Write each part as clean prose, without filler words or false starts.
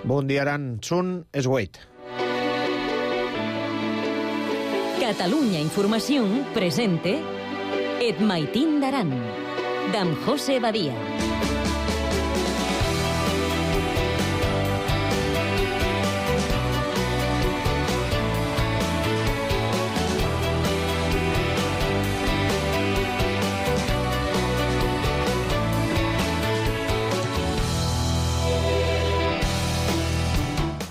Bon dia, Aran. Són es 8. Catalunya Informació presente Et Maitín d'Aran, d'en José Badia.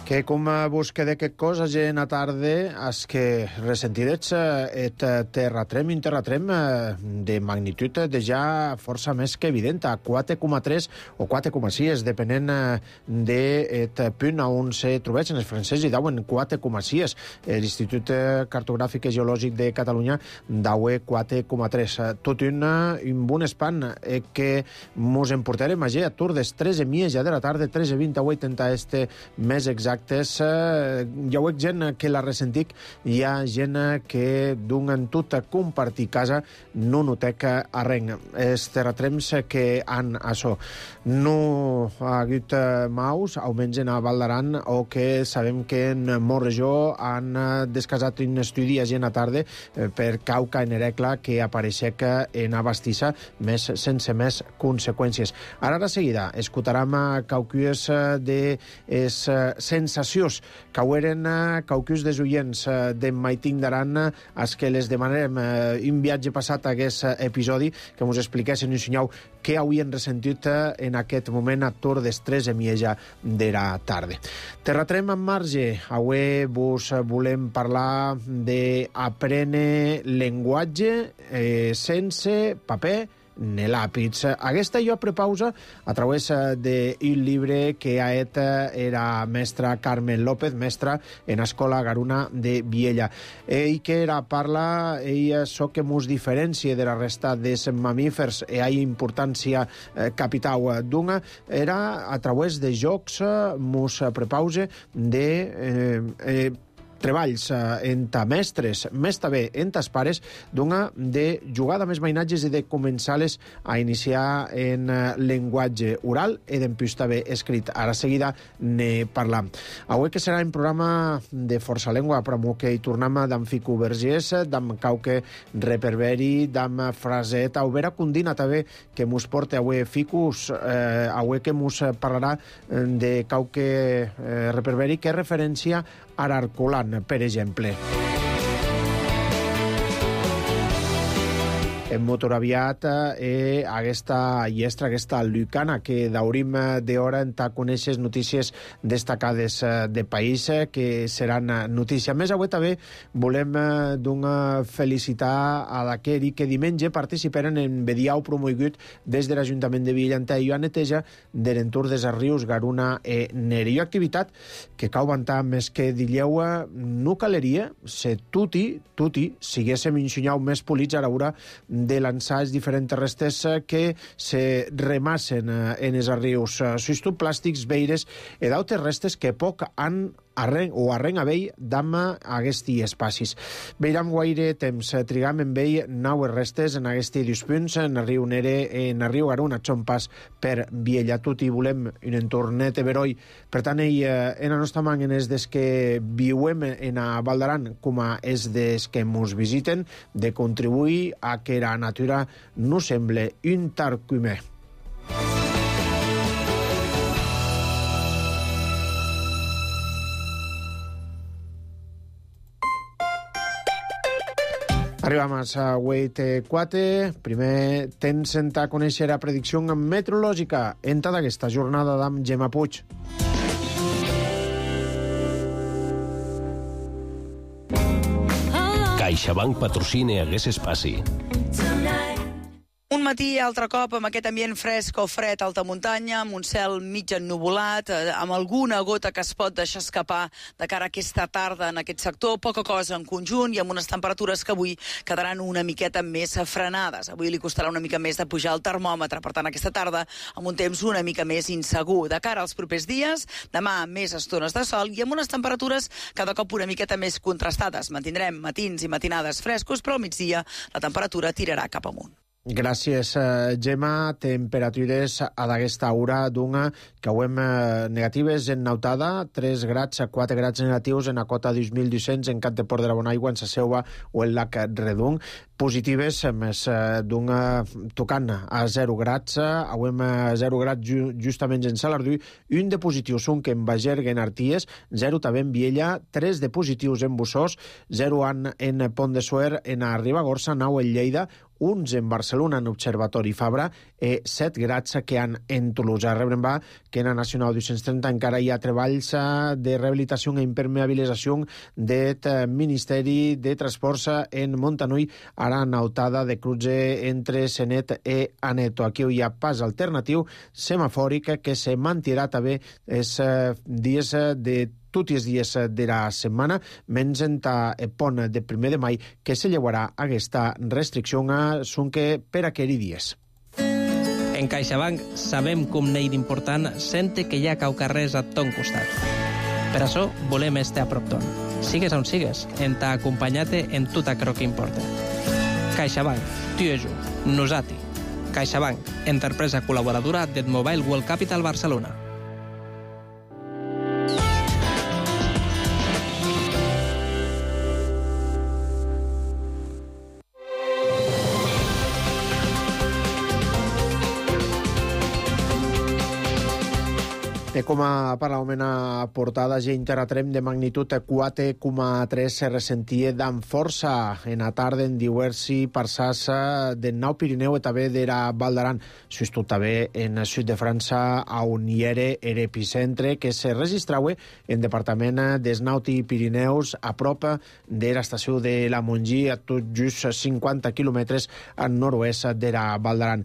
Que com busque de qué cosa en a tarde es que resentidets et terratrem de magnitud de ja força més que evident, a 4,3 o 4,6, depenent et punt on se trobeixen els francesos, i dauen 4,6. L'Institut Cartogràfic i Geològic de Catalunya daue 4,3. Tot un bon espant que mos emportarem a Tur des 13:30 de la tarda, 13:28 en este més exacte. Ja ho veig gent que la ressentic, hi ha gent que d'un tot a compartir casa no notec arrenc. Els terratrems que han això no ha hagut maus, almenys en a Val d'Aran, o que sabem que en molta regió han descasat un estudi a gent a tarda per cauca en Herecla que apareixec en Abastissa sense més conseqüències. Ara de seguida escoltarem cauques de sensacions que eren caucus des oients d'en Maitín d'Aran, els que les demanarem un viatge passat a aquest episodi, que ens expliquessin i ensenyeu què havien ressentit en aquest moment a Tur des 13:30 de la tarda. Terratrem en marge. Avui vos volem parlar d'aprendre llenguatge sense paper ni làpits. Aquesta jo prepausa a través d'un llibre que ha et era mestra Carmen López, mestra en Escola Garuna de Viella. Ell que parla, això que mos diferencia de la resta dels mamífers i ha importància capital d'una, era a través de jocs mos prepausa de treballs entre mestres, més també entre els pares, d'una de jugar amb els mainatges i de començar-les a iniciar en llenguatge oral i d'empús també escrit. Ara seguida ne parlam. Avui que serà un programa de força llengua, però que hi tornem d'en Fico Vergés, d'en Cauque Reperberi, d'en Fraset, a Vera Cundina també, que mos porta avui Ficus, avui que mos parlarà de Cauque Reperberi, que és referència a Arcolan, per exemple. En motoraviat aquesta llestra, aquesta lucana que daurim d'hora en ta conèixer notícies destacades de país que seran notícia. Més avui també volem felicitar a d'aquell que diumenge participaren en Bediau promogut des de l'Ajuntament de Villanta i a neteja de l'entorn dels rius Garuna i Neri. Activitat que cau vantar més que dilleu no caleria se tuti siguéssim ensenyau més polits a l'hora de lançar els diferents restes que se remassen en els rius. Sustot plàstics, veires i d'altres restes que poc han arrenc a vell d'am aquests espacis. Veiram guaire temps, trigam en vell 9 restes en aquests dos punts, en el riu Nere, en el riu Garuna, són pas per Viella. Tot i volem un entornet beroi. Per tant, en la nostra mà, en els des que viuem en a Val d'Aran, com a els des que ens visiten, de contribuir a que la natura no semble un tarcumer. Arribam a 8:04. Primer temps a conèixer la predicció meteorològica en tota aquesta jornada d'amb Gemma Puig. CaixaBank patrocina aquest espai. Un matí, altre cop, amb aquest ambient fresc o fred a alta muntanya, amb un cel mig ennuvolat, amb alguna gota que es pot deixar escapar de cara a aquesta tarda en aquest sector, poca cosa en conjunt i amb unes temperatures que avui quedaran una miqueta més frenades. Avui li costarà una mica més de pujar el termòmetre, per tant, aquesta tarda amb un temps una mica més insegur. De cara als propers dies, demà més estones de sol i amb unes temperatures cada cop una miqueta més contrastades. Mantindrem matins i matinades frescos, però al migdia la temperatura tirarà cap amunt. Gràcies, Gemma. Temperatures a d'aquesta hora d'una que auem negatives en Nautada, 3 grads a 4 grads negatius en la cota 2.200 en Cap de Port de la Bonaigua, en Saseua o en Lac Redung. Positives, més d'una tocant a 0 grads, auem 0 grads justament en Salardú, un de positius un que en Bagergue, en Arties, 0 també en Viella, 3 de positius en Bussós, 0 en Pont de Suert, en Ribagorça, 9 en Lleida, uns en Barcelona, en Observatori Fabra, i 7 grads que han en Toulouse. Rebrem va que en la Nacional 230 encara hi ha treballs de rehabilitació i impermeabilització del Ministeri de Transports en Montanui, ara nautada de cruce entre Senet i Aneto. Aquí hi ha pas alternatiu semafòric que se mantirà també els dies de tots els dies de la setmana, menys en el pont de 1 de mai, que se llevarà aquesta restricció que per aquells dies. En CaixaBank sabem com n'hi d'important sente que hi ha caucarrers a ton costat. Per això volem estar a prop ton. Sigues on sigues, en t'ha acompanyat-te en tot aquello que importa. CaixaBank, tu i jo, nosati. CaixaBank, empresa col·laboradora del Mobile World Capital Barcelona. Com a parlament a portada, gent terratrem de magnitud 4,3 se ressentia amb força en la tarda en diversi parçats del Nou Pirineu i també de la Val d'Aran. Sustot també en el sud de França, on hi era l'epicentre que se registrava en departament des Nauti Pirineus, a prop de l'estació de la Montgí, a tot just 50 quilòmetres al nord-oest de la Val d'Aran.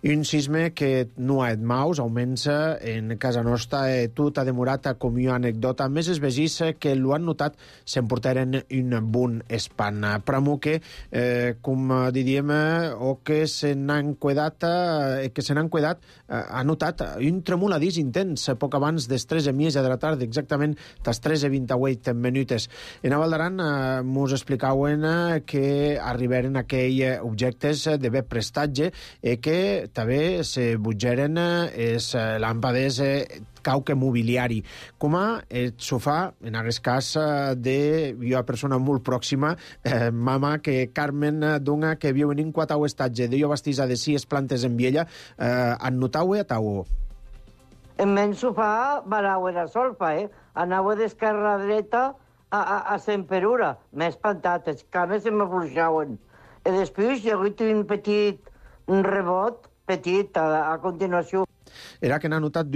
Un sisme que no ha et maus, augmenta en casa nostra, tot ha demorat com una anècdota. Més els vegis que l'ho han notat s'emportaren un bon espant. Pramo que, com diríem, o que se n'han cuidat, ha notat un tremoladís intens poc abans des 3:30 de la tarda, exactament des 3:28 minutes. En a Val d'Aran mos explicaven que arribaren aquells objectes de bé prestatge i que també se butgeren els làmpades cauque mobiliari, com a el sofà, en aquest cas, de una persona molt pròxima, mama, que Carmen Dunga, que viu en un quatau estatge de bastisa de 6 plantes en Viella, en notau a tau? En men sofà varau era solfa, anava d'esquerra a dreta a Semperura. M'he espantat, els cames se m'afluixaven. I després hi ha hagut un petit rebot, petit, a continuació. Era que n'ha notat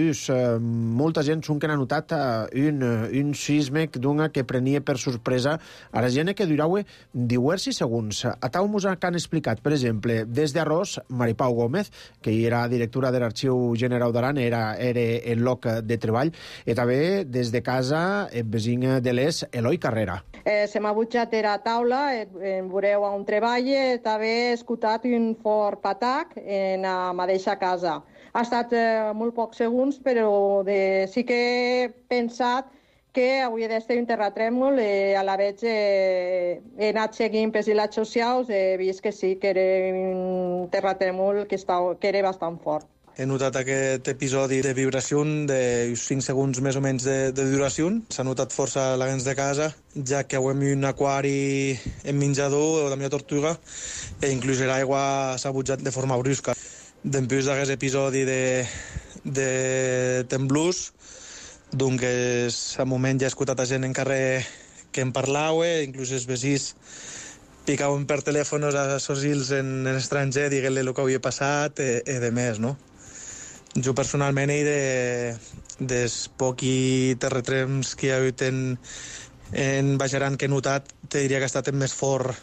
molta gent que n'ha notat un sisme que prenia per sorpresa a la gent que durava diversos segons. A tau mos han explicat, per exemple, des d'Arròs, Maripau Gómez, que era directora de l'Arxiu General d'Aran, era el lloc de treball, i també des de casa el vecí de l'Es, Eloi Carrera. Se m'ha butjat a la taula, en veureu on treballa, també he escoltat un fort patac en la mateixa casa. Ha estat molt pocs segons, però sí que he pensat que hauria d'estar un terratrèmol i a la vegada he anat seguint per les xarxes socials i he vist que sí, que era un terratrèmol que era bastant fort. He notat aquest episodi de vibració de 5 segons més o menys de duració. S'ha notat força a la gens de casa, ja que avui un aquari en menjador de la meva tortuga i inclús l'aigua s'ha butjat de forma brusca. Després d'aquest episodi de temblors, doncs, al moment ja he escoltat a gent en carrer que em parlava, inclús els vecins picaven per telèfons a sos en estranger, dient-li el que havia passat i de més, no? Jo personalment dels pocs terratrèmols que hi ha hagut en Baix Aran que he notat, te diria que ha estat el més fort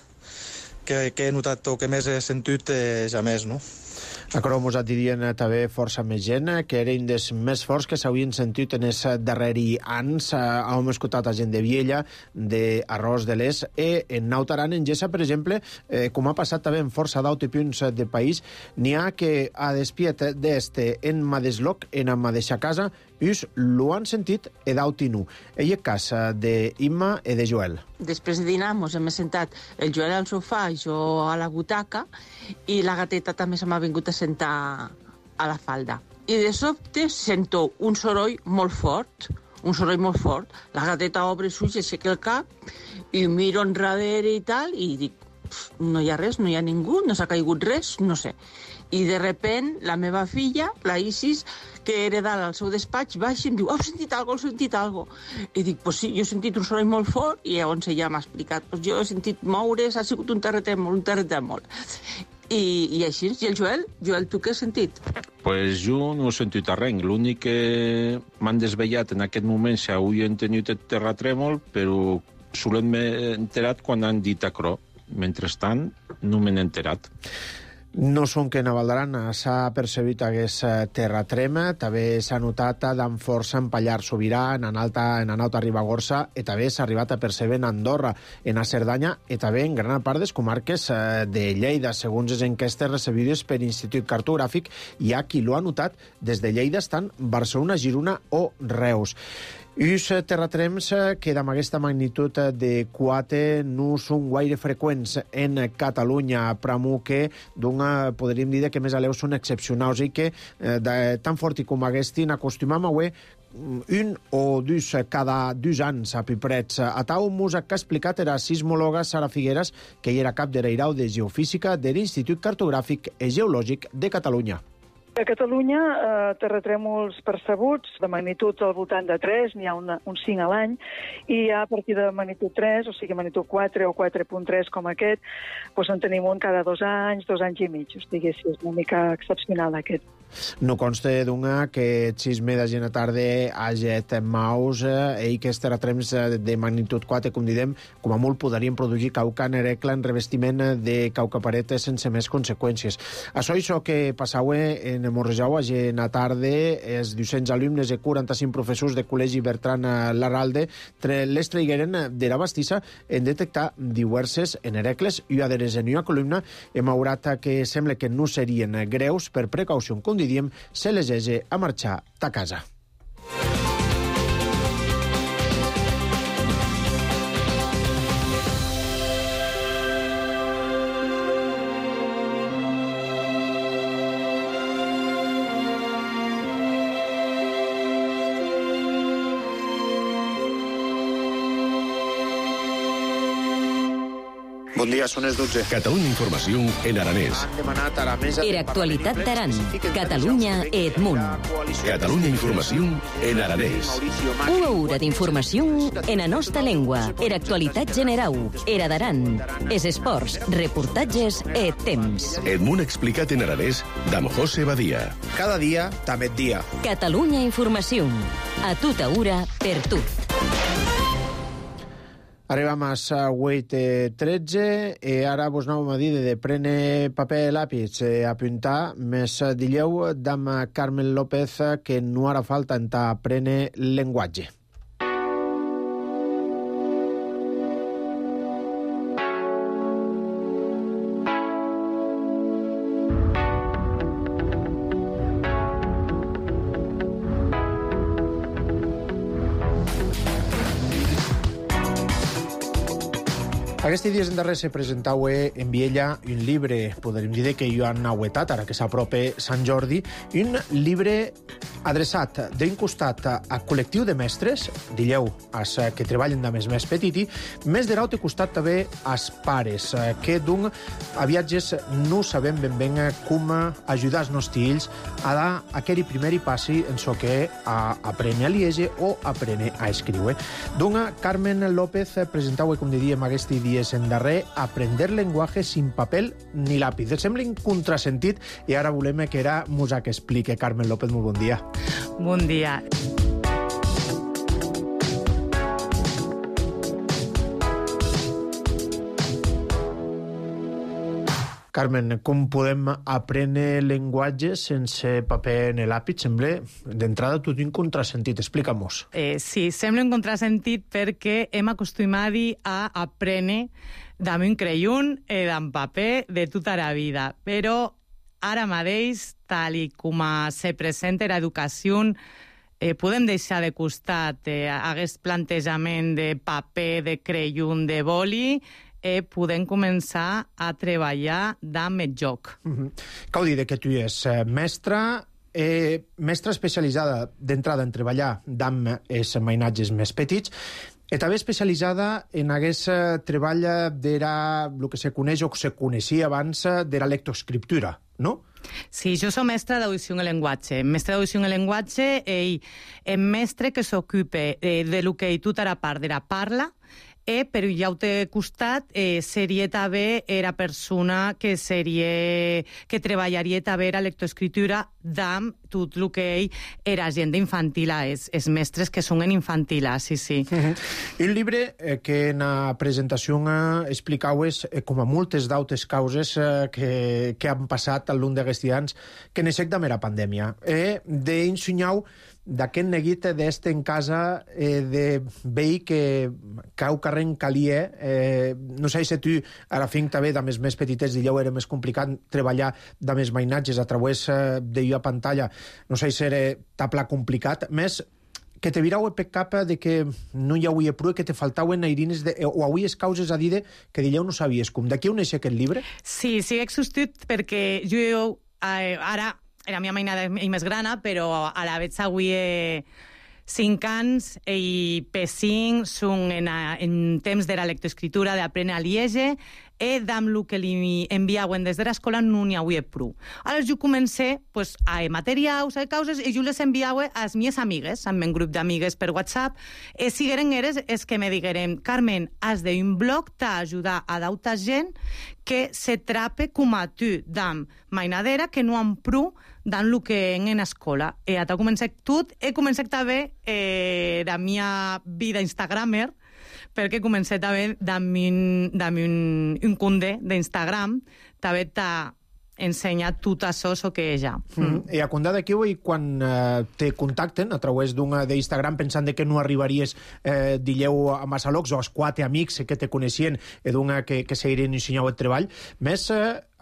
que he notat o que més he sentit ja més, no? Acro mos dirien també força més gent, que eren dels més forts que s'havien sentit en els darreri anys. Hem escoltat a gent de Viella, d'Arròs de l'Est, i en Nautaran, en Gessa, per exemple, com ha passat també en força d'autres punts del país, n'hi ha que a despiet d'este en Madesloc, en la mateixa casa, us lo han sentit e d'auti nu. Ell és cas d'Imma i de Joel. Després de dinar mos hem sentat el Joel al sofà i jo a la butaca, i la gateta també se m'ha vingut a sentar a la falda. I de sobte sento un soroll molt fort, La gateta obre els ulls, aixeca el cap i miro enrere i tal, i dic, no hi ha res, no hi ha ningú, no s'ha caigut res, no sé. I de repent la meva filla, la Isis, que era dalt al seu despatx, baixa i em diu, heu sentit algo? I dic, pues sí, jo he sentit un soroll molt fort, i llavors ella m'ha explicat, pues jo he sentit moure's, ha sigut un terratrèmol. I així, i el Joel, tu què has sentit? Pues jo no he sentit res, l'únic que m'han desvellat en aquest moment si avui tingut el terratrèmol, però solen m'he enterat quan han dit acro. Mentrestant, no m'he enterat. No són que a Valdaran s'ha percebut aquest terratrema, també s'ha notat amb força en Pallar Sobirà, en Alta Ribagorça, i també s'ha arribat a percebre en Andorra, en a Cerdanya, i també en gran part de les comarques de Lleida. Segons les enquestes recebides per l'Institut Cartogràfic, hi ha qui l'ha notat des de Lleida, estan Barcelona, Girona o Reus. Uns terratrems que amb aquesta magnitud de 4 no són gaire freqüents en Catalunya, però que podríem dir que més a l'eu són excepcionals i que tan fort com aquestin acostumam a veure un o dos cada 2 anys a Piprets. A tau músic que ha explicat era sismòloga Sara Figueras, que hi era cap de l'Eirau de Geofísica de l'Institut Cartogràfic i Geològic de Catalunya. A Catalunya, terratrèmols percebuts de magnitud al voltant de 3, n'hi ha uns 5 a l'any, i a partir de magnitud 3, o sigui magnitud 4 o 4.3 com aquest, doncs en tenim un cada 2 anys, 2 anys i mig. O sigui, sí, és una mica excepcional aquest. No consta que xisme de gent a tarda hagi maus i que els terratrems de magnitud 4, com diem, com a molt podrien produir cauca nerecla en revestiment de cauca paret sense més conseqüències. Això que passava en Morrejau a gent a tarda, els 200 alumnes i 45 professors de Col·legi Bertran Larralde les traigueren de la bastissa en detectar diverses nerecles i adheres en una columna hem aurat que sembla que no serien greus per precaució, com diríem, se les hagi a marxar a casa. Bon dia, són les 12. Catalunya Informació en aranès. Era actualitat d'Aran. Catalunya Edmunt. Catalunya Informació en aranès. Una hora d'informació en la nostra llengua. Era actualitat general. Era d'Aran. Es esports, reportatges e temps. Edmunt explicat en aranès d'amb José Badia. Cada dia, també dia. Catalunya Informació. A tota hora, per tot. Arribam a 8:13 i ara vos anàvem a dir de prendre paper i làpis, apuntar més dilleu d'amb Carmen López que no harà falta entrar a prendre llenguatge. Aquests dies en darrer se presentava en Viella un llibre, podríem dir que jo han auetat, ara que s'apropa Sant Jordi, un llibre adreçat d'un costat a col·lectiu de mestres, dilleu, als que treballen de més petiti, més de l'altre costat també als pares, que d'un a viatges no sabem ben com ajudar els nostres fills a dar aquell primer passi en so que a aprendre a llegir o aprendre a escriure. D'un Carmen López presentava, com diríem, aquests dies en darrer, aprender lenguaje sin papel ni lápiz. Sembla un contrasentit i ara volem que era Musa que explique. Carmen López, molt bon dia. Bon dia. Carmen, com podem aprendre llenguatge sense paper en l'àpid? Sembla, d'entrada, tot un contrasentit. Explica-mos. Sí, sembla un contrasentit perquè hem acostumat a aprendre amb un creion amb paper de tota la vida. Però ara mateix, tal com se presenta l'educació, podem deixar de costat aquest plantejament de paper, de creion, de boli, podem començar a treballar amb el joc. Cal dir que tu és mestra especialitzada d'entrada en treballar amb els mainatges més petits, i també especialitzada en aquest treball el que se coneix o que se coneixia abans de la lectoescriptura, no? Sí, jo soc mestre d'audició en llenguatge. Mestre d'audició en llenguatge i mestre que s'ocupa de lo que tota la part de la parla, però ja ho té costat, seria també la persona que treballaria també la lectoescriptura amb tot el que era gent infantil, els mestres que són en infantil, sí. Un llibre que en la presentació explicaues com a moltes d'altres causes que han passat al lluny d'aquests anys que neixec de la pandèmia. D'ensenyar d'aquest neguit d'este en casa de veí que cau carrer calia. No sé si tu, a la fin també, amb els més petitets d'allò era més complicat treballar amb els mainatges a través d'allò a pantalla. No sé si era tapla complicat. Més, que te virau per cap de que no hi hauria prou, que te faltaven airines o hauries causes a dir que d'allò no sabies com. D'aquí on és aquest llibre? Sí, existit perquè jo ara la meva mainada és més grana, però a la vegada avui 5 anys i per 5 són en temps de la lectoescriptura, d'aprendre a llegir, i amb el que li enviaven des de l'escola no n'hi havia prou. Aleshores jo comencé a materials, a causes, i jo les enviava a les meves amigues, amb un grup d'amigues per WhatsApp, i sigueren eres és que me digueren: Carmen, has d'un blog t'ajudar a d'alta gent que se trape com a tu d'am mainadera que no han prou dan lo que en escola. He començat tot, he començat també la meva vida instagramer, perquè he començat també amb un compte d'Instagram, també t'ha ensenyat tot això que és ja. I a compte d'aquí, quan te contacten a través d'Instagram pensant que no arribaries d'illeu a Massalocs o als 4 amics que te coneixien i que seguirien ensenyant el treball, més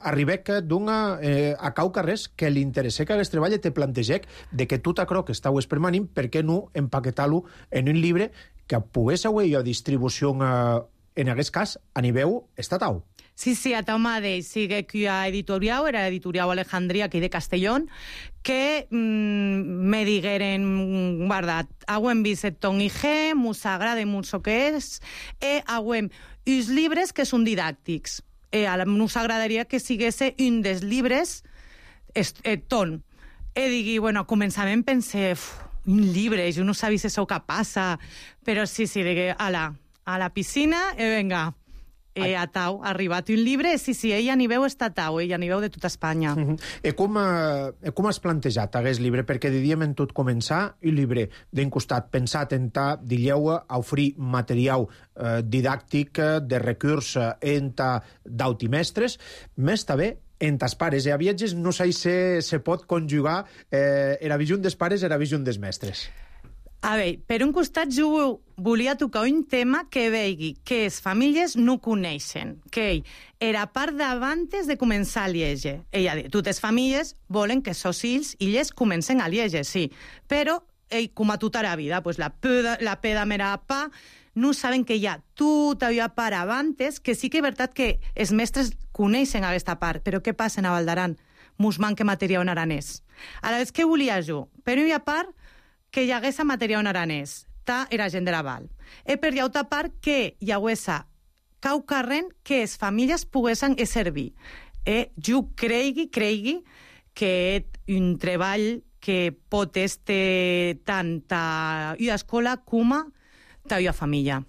arribec a cau carrers que li interessa que aquest treball te plantegec de que tot això que estàu espermanint, per què no empaquetar-lo en un llibre que pogués haver distribució en aquest cas a nivell estatal. Sí, a tau mateix. Sigue que a editorial, era editorial Alejandría, aquí de Castellón, que me digueren, guarda, hauem vist el ton IG, mos agrada molt el que és, i hauem uns llibres que són didàctics. Nos agradaria que siguesse un dels llibres ton. I digui, començament pensé, un llibre, jo no sabia si això que passa, però sí, digui, a la piscina, i venga, a tau, ha arribat un llibre, sí, ell a nivell estatal, ell a nivell de tota Espanya. I com has plantejat aquest llibre? Perquè diríem en tot començar un llibre d'un costat pensat en dilleu a oferir material didàctic de recurs d'autimestres, més també en tas pares. A viatges no sé si se pot conjugar la visió dels pares i la visió dels mestres. A veure, per un costat jo volia tocar un tema que vegi que les famílies no coneixen, que era part d'abans de començar a llegir. Ella diu, totes les famílies volen que els fills i elles comencen a llegir, sí, però com a tota la vida, la peda mera pa, no saben que hi ha tota una part abans, que sí que és veritat que els mestres coneixen aquesta part, però què passa a Val d'Aran? Mos manca material en aranès. Aleshores, què volia jo? Per una part, que hi hagués material en aranès, era gent de la Val. I per l'altra part, que hi hagués cau carrer que les famílies poguessin servir. Jo cregui que és un treball que pot estar tant a una escola com a una família.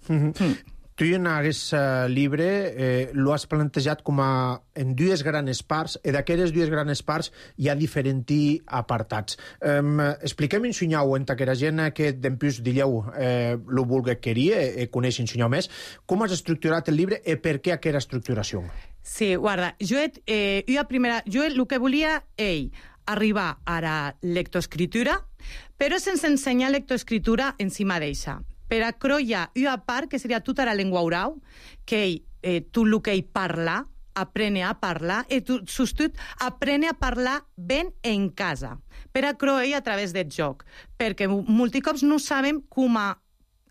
Tu en aquest llibre lo has plantejat com en dues grans parts, i d'aquestes dues grans parts hi ha diferents apartats. Expliquem ensenyau en aquella gent que d'empús dilleu lo vulgui querir i coneix ensenyau més, com has estructurat el llibre i per què aquesta estructuració? Sí, guarda, jo el que volia arribar a la lectoescritura, però sense ensenyar lectoescritura en si mateixa. Per a croia una part, que seria tota la llengua oral, que tu el que parla, aprene a parlar, i tu, sostut, aprene a parlar ben en casa, per a croir a través del joc, perquè molts cops no sabem com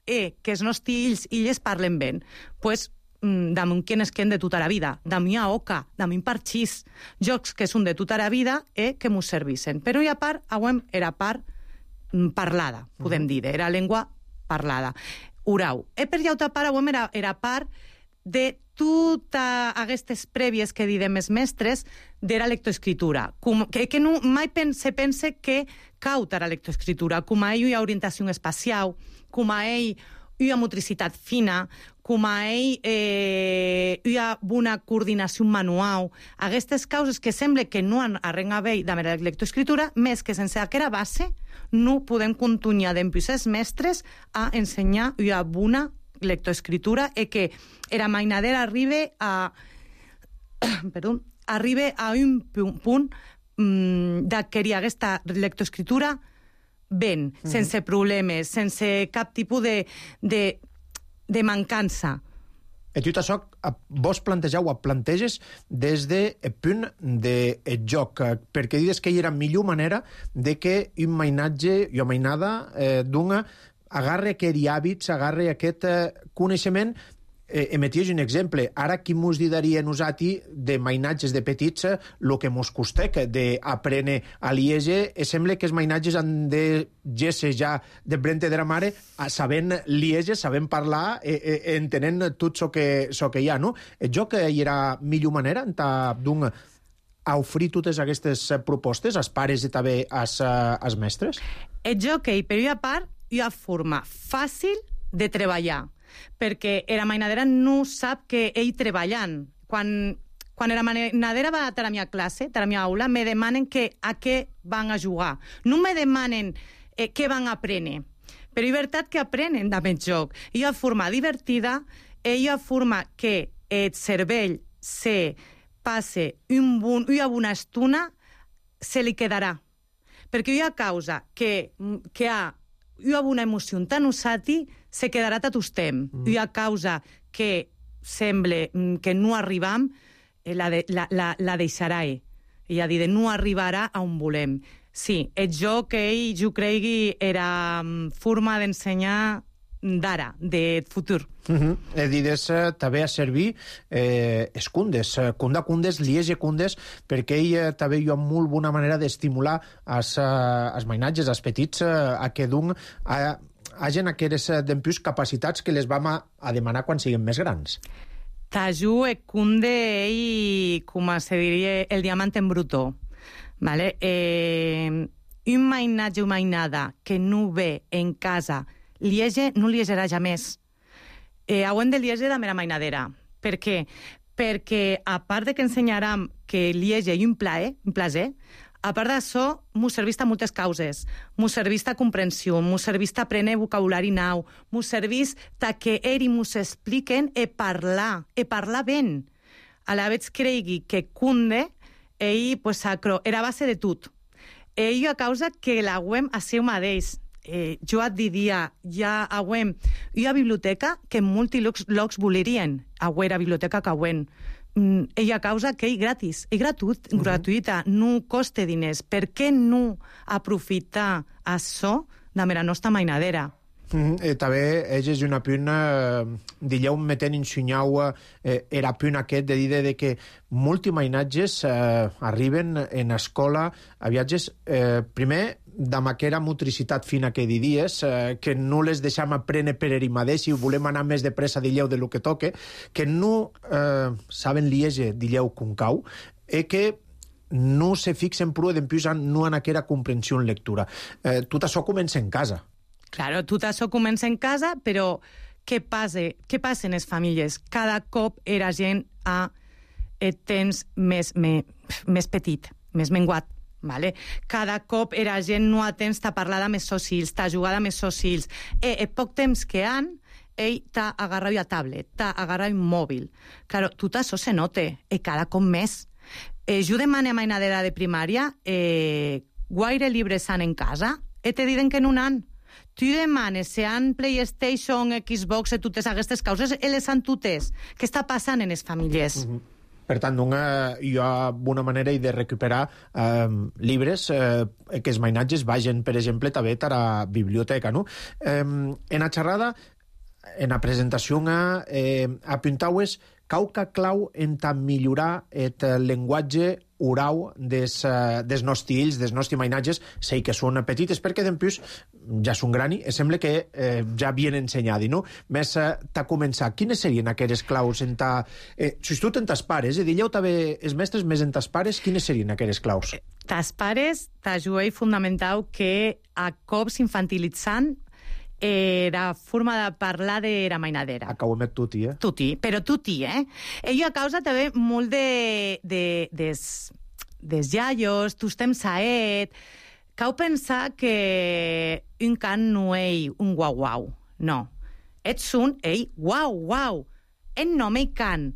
que els nostres illes parlen ben. Pues, damunt quienes queden de tota la vida, damunt a oca, damunt parxís, jocs que són de tota la vida que mos servissen. Però hi ha part, era part parlada, podem dir, era llengua parlada. Urau. Per llauta part, era part de totes aquestes prèvies que didem els mestres de la lectoescritura. Que no, mai se pense que cauta la lectoescritura, com a ell hi ha orientació espacial, com a ell hi ha motricitat fina, com a ell hi ha una coordinació manual. Aquestes causes que sembla que no arrenga bé de la lectoescritura, més que sense aquesta base no podem continuar d'empús els mestres a ensenyar una bona lectoescritura i que era mainadera arriba a un punt d'adquirir aquesta lectoescritura ben, sense problemes, sense cap tipus de mancança. I tot això vos planteges des del punt de joc, perquè dius que hi era millor manera de que un mainatge i una mainada d'una agarre aquests hàbits, agarre aquest coneixement. Emeties un exemple. Ara, qui mos diria a nosaltres de mainatges de petits el que mos costec d'aprendre a liege? Sembla que els mainatges han de gesser ja de brente de la mare sabent liege, sabent parlar, entenent tot el que hi ha, no? El joc hi era millor manera d'un a oferir totes aquestes propostes als pares i també als mestres? El joc, per una part, hi ha forma fàcil de treballar, perquè la mainadera no sap que ell treballant. Quan la mainadera va a la meva classe, a la meva aula, me demanen a què van a jugar. No me demanen què van a aprendre. Però és veritat que aprenen amb el joc. Hi ha forma divertida, hi ha forma que el cervell se passe una bona estona, se li quedarà. Perquè hi ha causa que ha una bona emoció tan usati se quedarà tot el temps. Hi ha causa que sembla que no arribam, la deixarà ell. I a dir, no arribarà a on volem. Sí, el joc que ell, jo cregui, era forma d'ensenyar d'ara, de futur. Dides també a servir escundes, cundes, liege cundes, perquè ell també hi ha molt bona manera d'estimular els mainatges, els petits, a que d'un hagin aquestes d'empús capacitats que les vam a demanar quan siguin més grans. Taju e cunde ell, com se diria, el diamant en brutó. Vale? Un mainatge o mainada que no ve en casa liege, no liegerà ja més. Hauem de liege de mera mainadera. Per què? Perquè, a part de que ensenyarem que liege i un plaer, a part d'això, m'ho serveix a moltes causes. M'ho serveix a comprensió, m'ho serveix a aprendre vocabulari nou, m'ho serveix que ells m'ho expliquen i parlar ben. A la vegada cregui que cunde, ell, era base de tot. Ell a causa que l'hauem a seu mateix. Jo et diria, ja hauem una biblioteca que molts llocs volerien, hauem la biblioteca que hauem. Ella causa que és gratis, és gratuïta, no costa diners. Per què no aprofitar això de la nostra mainadera? També és una punt, dilleu metent ensenyau era punt aquest de dir que molts mainatges arriben en escola a viatges, primer, amb aquella motricitat fina que diries, que no les deixem aprendre per ell mateix i volem anar més de pressa, dilleu, de lo que toque, que no saben liege, dilleu, com cau, i que no se fixen prou d'empús no en aquella comprensió en lectura. Tot això comença en casa. Claro, tot això comença en casa, però què passa en les famílies? Cada cop era gent a temps més petit, més menguat. Vale? Cada cop era gent no a temps de parlar amb els seus fills, de jugar amb els seus fills. El poc temps que han, ell t'ha agarrat a tablet, t'ha agarrat a mòbil. Claro, tot això se note, cada cop més. Jo demane a mainadera de primària guaire llibres han en casa, te diuen que no n'han. Tu demanes si han PlayStation, Xbox, totes aquestes causes, les han totes. Què està passant en les famílies? Per tant, hi ha una manera de recuperar llibres que els mainatges vagin, per exemple, també a la biblioteca, no? En la xerrada, en la presentació, apuntaues cauca clau en millorar el llenguatge orau des nostres fills, des nostres mainatges, sei que són petites, perquè d'empús ja són grani, i sembla que ja havien ensenyat, no? Més t'ha començat, quines serien aquelles claus en sobretot en tas pares, dieu també els mestres més en tas pares, quines serien aquelles claus? Tas pares t'ajuei fundamental que a cops infantilitzant la forma de parlar de la mainadera. Acabo amb tuti, Tuti, però tuti, Ello a causa també molt des iaios, tus temps saet. Cau pensar que un can no és un guau-guau. No. Ets un, guau-guau. En nom ei can.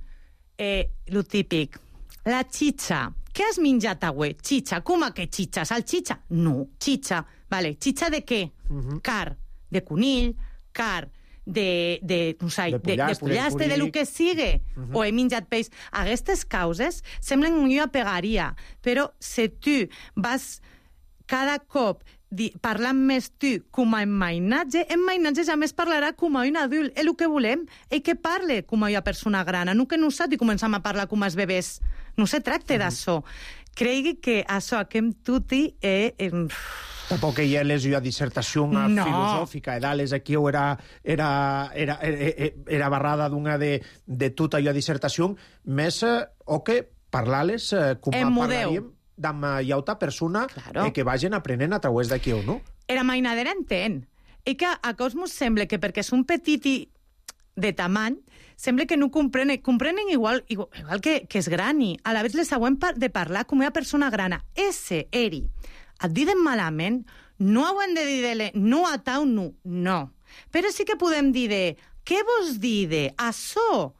Lo típic. La xitxa. Què has menjat avui? Xitxa. Com que xitxa? Salxitxa? No, xitxa. Vale, xitxa de què? Car. De conill, car, de pollastre, de lo que sigue, o he menjat peix. Aquestes causes semblen que jo pegaria, però si tu vas cada cop parlant més tu com a mainatge ja més parlarà com a un adult. És el que volem, és que parle com a una persona gran, no que nosaltres comencem a parlar com els bebès. No se tracta d'això. Cregui que això que hem tuti Tampoc hi ha una dissertació filosòfica, dales aquí era barrada d'una de tota la dissertació, més o que parlar-les com parlaríem d'amb llauta persona que vagin aprenent a través d'aquí, no? Era mainadera entén. I que a cos mos sembla que perquè són petiti de tamany, sembla que no comprenen igual que és grani. A la vegada les següent de parlar com una persona grana. Ese eri. Et diden malament, no ho hem de dir no a tau, no. Però sí que podem dir què vos dir això?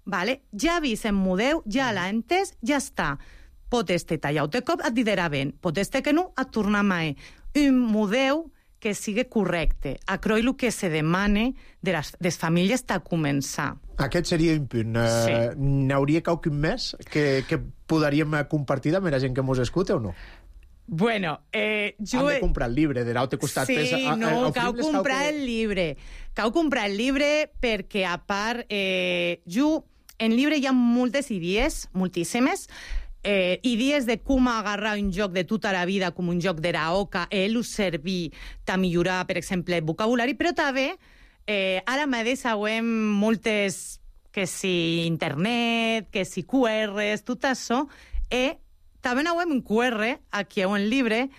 Vale? Ja vist en mudeu, ja l'ha entès, ja està. Pot este tallau de cop, et dirà ben. Pot este que no, et torna mai. Un mudeu que sigui correcte. A croi el que se demane de les famílies a començar. Aquest seria un punt. N'hauria qualcun més que podríem compartir amb la gent que mos escuta o no? Bueno, jo... Han de comprar el llibre, de l'altre costat. Sí, no, cal comprar el llibre. Cal comprar el llibre perquè, a part, en llibre hi ha moltes idees, moltíssimes, idees de com agarrar un joc de tota la vida com un joc de la oca, us servir a millorar, per exemple, el vocabulari, però també, ara mateix sabem moltes, que si internet, que si QRs, tot això, també no hem un QR, aquí en el llibre,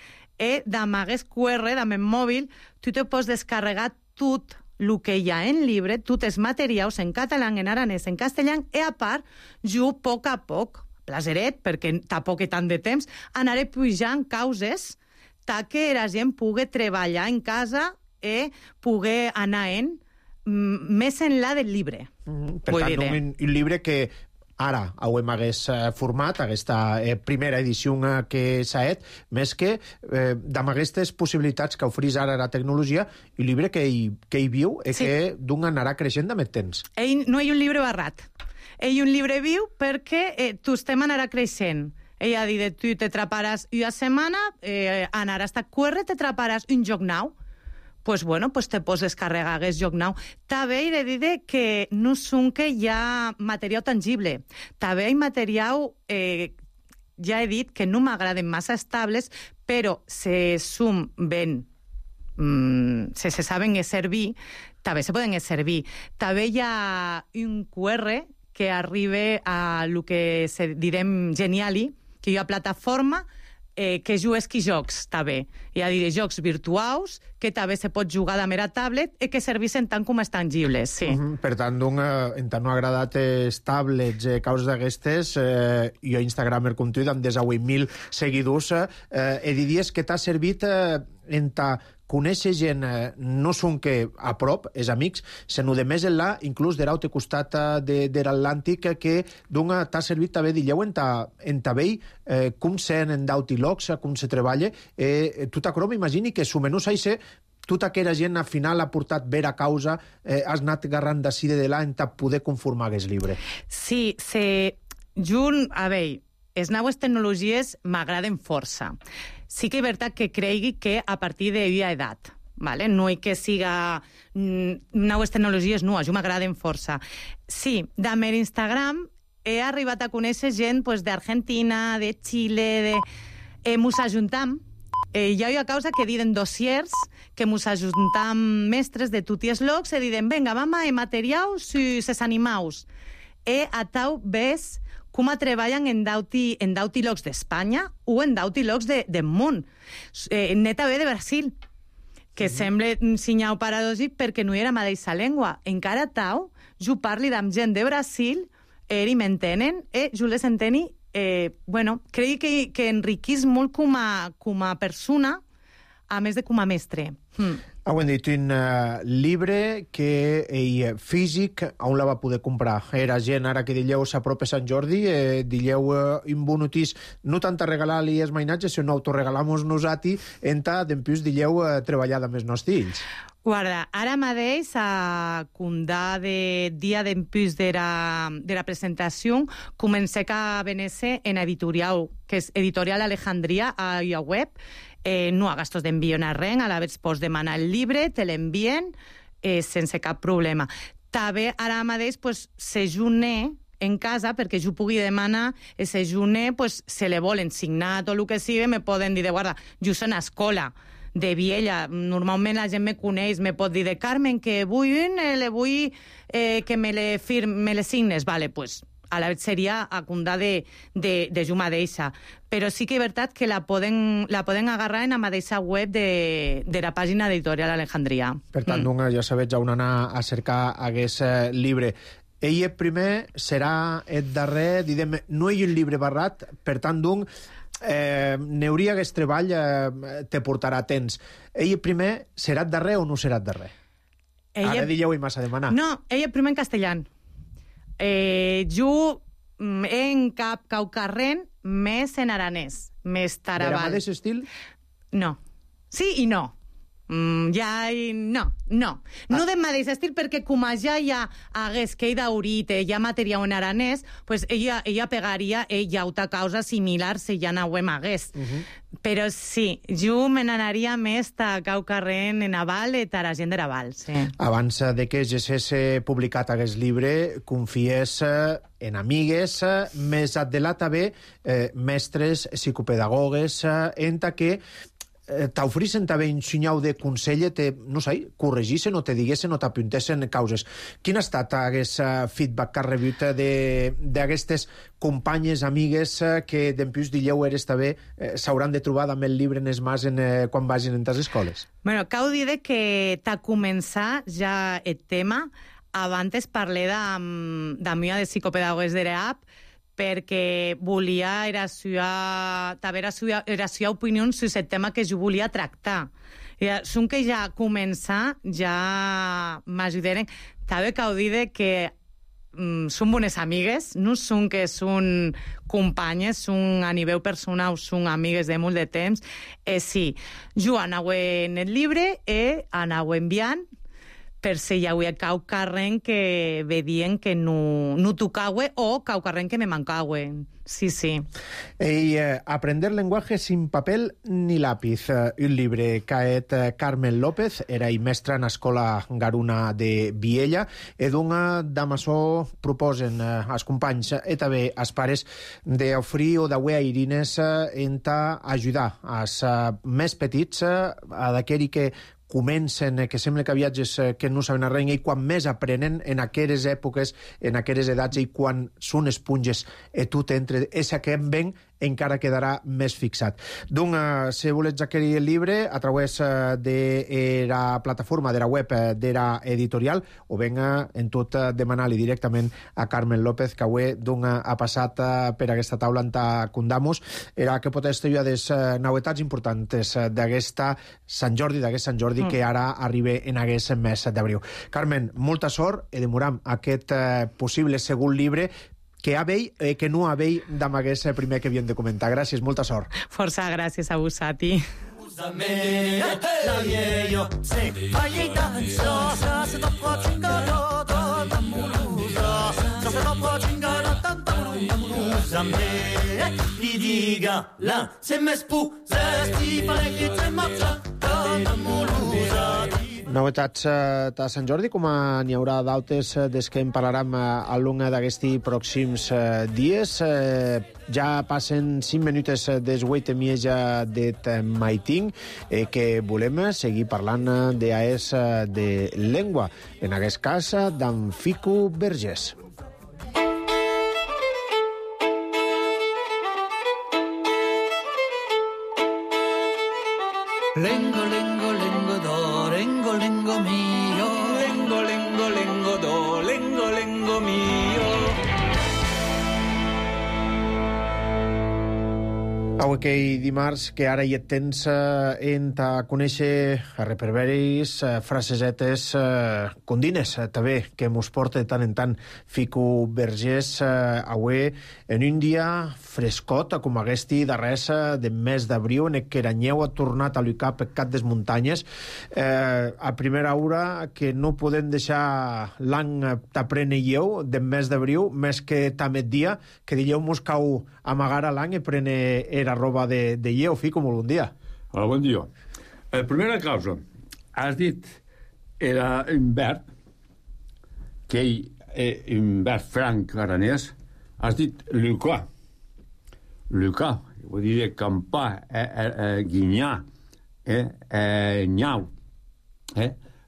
d'amagues QR, d'amb mòbil, tu te pots descarregar tot el que hi ha en llibre, tots els materials en català, en aranès, en castellà, i a part, jo, a poc, plaseret, perquè tampoc tant de temps, anaré pujant causes que la gent pugui treballar en casa i pugui anar més enllà del llibre. Per tant, un llibre que ara hem hagués format aquesta primera edició que s'ha fet, més que d'amb aquestes possibilitats que oferís ara la tecnologia, un llibre que hi viu i que d'un anarà creixent amb el temps. No hi ha un llibre barrat. Hi ha un llibre viu perquè tu estem anarà creixent. Ella ha dit, tu t'atraparàs una setmana, anaràs a QR, t'atraparàs un joc nou. Pues te pots descarregar aquest joc nou. També he de dir que no són que hi ha material tangible. També hi ha material, ja he dit que no m'agraden massa estables, però se som ben, se saben servir, també se poden servir. També hi ha un QR que arriba a lo que direm Geniali, que hi ha plataforma que jugues jocs, també. Hi ha jocs virtuals, que també se pot jugar de mera tablet i que serveixen tant com els tangibles, sí. Per tant, en tant no ha agradat els tablets, causes d'aquestes, jo a Instagramer com tu, amb 18.000 seguidors, diries que t'ha servit enta conèixer gent, no són que a prop, és amics, sinó de més enllà, inclús de l'altre costat de l'Atlàntic, que t'ha servit també, dilleu, en vell, com sent en d'auti locs, com se treballa. Tu t'acro, m'imagini que sumenús així, tota aquella gent al final ha portat vera causa, has anat agarrant d'ací de l'à en poder conformar aquest llibre. Sí, a veure, les noves tecnologies m'agraden força. Sí que és veritat que cregui que a partir d'una edat, ¿vale? No és que siga noves tecnologies noves, jo m'agraden força. Sí, amb l'Instagram he arribat a conèixer gent d'Argentina, de Xile, mos ajuntam. Hi ha una causa que diuen dossiers, que mos ajuntam mestres de tots els llocs i diuen, venga, mama, materiaus si ses animaus. A tau ves com treballen en d'auti llocs d'Espanya o en d'auti llocs del món. Neta ve de Brasil, que sembla sinyau paradògic perquè no era mateixa llengua. Encara tau, jo parli amb gent de Brasil, i m'entenen, jo les enteni. Crec que enriquís molt com a persona, a més de com a mestre. Heu dit un llibre que físic, on la va poder comprar? Era gent, ara que dilleu s'apropa Sant Jordi, dilleu un bon notís, no tant a regalar-li els mainatges, sinó autoregalamos nosaltres, d'empús dilleu treballar amb els nostres fills. Guarda, ara mateix, a condar de dia d'empús de la presentació, comencé a venir en editorial, que és Editorial Alejandria, a la web. No ha gastos d'envio en res, a la vegada pots demanar el llibre, te l'envien sense cap problema. També ara mateix se june en casa, perquè jo pugui demanar se june, se le volen signar tot el que sigui, me poden dir, guarda, jo soc a escola de Viella, normalment la gent me coneix, me pot dir de Carmen, que vull que me le signes, vale, pues a la vegada seria a condar de jo mateixa. Però sí que és veritat que la poden agarrar en la mateixa web de la pàgina d'Editorial Alejandria. Per tant, ja sabeu on anar a cercar aquest llibre. Ell primer serà el darrer, diguem, no hi ha un llibre barrat, per tant, n'hauria aquest treball te portarà temps. Ell primer serà el darrer o no serà el darrer? Ara dilleu-hi massa a demanar. No, ell primer en castellà. Jo en cap caucarren més en aranès, més tarabal. De la mateix estil? No. Sí i no. No del mateix estil, perquè com ja hagués que daurit, ja material en aranès, pues ella pegaria altra causa similar si ja no ho hagués. Però sí, jo me n'anaria més a caucarren en aval i a la gent de l'aval. Abans de que hagués publicat aquest llibre, confies en amigues, més adelat també mestres, psicopedagogues, en que t'ofreixen també un senyal de consell, no sé, corregissin o te diguessin o t'apuntessen causes. Quin ha estat aquest feedback que has rebut d'aquestes companyes, amigues, que d'empús dilleu eres també s'hauran de trobar amb el llibre en les mans quan vagin en les escoles? Bueno, cal dir que t'ha començat ja el tema. Abans parlé d'amiga de psicopedagogues de l'EAP, perquè volia era la seva opinió sobre el tema que jo volia tractar. Són que ja començar, ja m'ajudaren. També cal dir que són bones amigues, no són que són companyes, són a nivell personal, són amigues de molt de temps. Sí, jo anava en el llibre i anava enviant, per si hi havia caucarren que vedien que no tocava o caucarren que me mancava. Sí. Aprender lenguaje sin papel ni lápiz. Un llibre caet Carmen López, era mestra en l'escola Garuna de Viella, i d'amassó proposen als companys i també als pares d'oferir o d'auer a irines en ajudar als més petits, a d'aquell que comencen, que sembla que viatges que no saben res, i quan més aprenen en aquelles èpoques, en aquelles edats, i quan són esponges, i tu t'entres, és que em ven encara quedarà més fixat. Donc, si volets adquirir el llibre a través de la plataforma, de la web de la editorial, o venga en tot demanar-li directament a Carmen López, que avui ha passat per aquesta taula en Cundamos, era que pot estudiar les novetats importants d'aquesta Sant Jordi, que ara arriba en aquest mes d'abril. Carmen, molta sort i demoram aquest possible segon llibre que que no havei d'amagués primer que havíem de comentar. Gràcies, molta sort. Força gràcies a Busati. Novetats de Sant Jordi, com n'hi haurà d'altres des que en parlarem a l'una d'aquests pròxims dies. Ja passen 5 minuts des 8:30 de maiting, que volem seguir parlant d'AES de llengua, en aquest cas d'en Fico Vergés. Lengo, lengo, lengo do, lengo, lengo mio. Lengo, lengo, lengo do, lengo, lengo mio. Avui que dimarts, que ara hi et tens en a conèixer a reperberis, frasesetes, condines, també, que mos porta de tant en tant Fico Vergés, avui en un dia frescot, com aquest darrers de mes d'abril, en què Aranyeu ha tornat a lluitar per cap des muntanyes, a primera hora que no podem deixar l'any t'apreneieu del mes d'abril, més que també dia, que dieu mos cau amagar a l'any i prene era roba de lleu. Fico, molt bon dia. Hola, bon dia. Primera cosa, has dit era un verb que un verb franc aranès, has dit lucar. Lucar, vull dir campar, guinyar, nyau.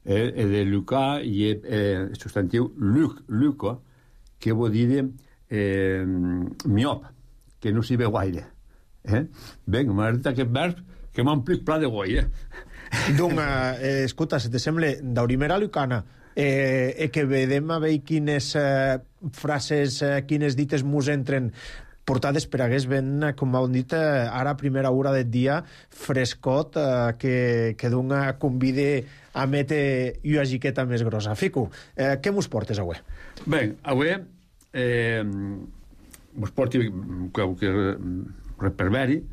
De lucar hi ha el substantiu luca, que vol dir miop, que no s'hi veu gaire. Vinga, m'ha dit aquest verb que m'ha omplit pla de goi, Donc, escolta, si te sembla, d'aurimera lucana, que vedem a veure quines frases, quines dites mos entren portades per hagués ben, com heu dit, ara a primera hora del dia, frescot, que dona convide a metre una giqueta més grossa. Fico, què mos portes avui? Bé, avui mos porti que reperberi,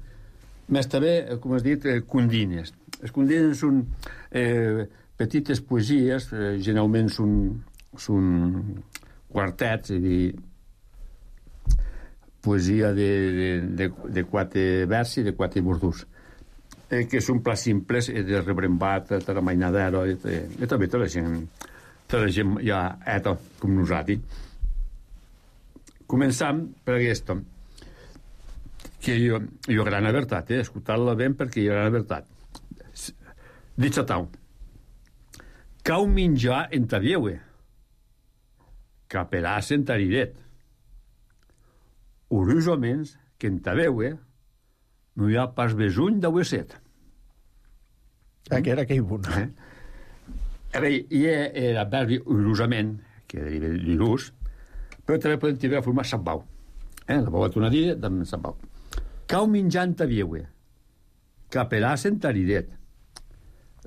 més també, com has dit, condines. Les condines són petites poesies, generalment són quartets, és a dir, poesia de 4 versi, de 4 bordús, que són plats simples, de Rebrembat, Taramainadero, i també tota la gent ja eta, com nosaltres. Començam per aquesta, que jo gran veritat, escoltar-la ben perquè jo gran veritat. Dit a tau, cau menjar en ta vieue, caperàs en ta riret. Urusomens que en ta veue no hi ha pas besuny d'aueset. Que era aquell punt. Hi ha l'adverbi urusament, que deriva d'urus, però també podem tenir la forma sabbau. La vau atonadida, també sabbau. Cau menjant ta vieue, caperàs en ta riret.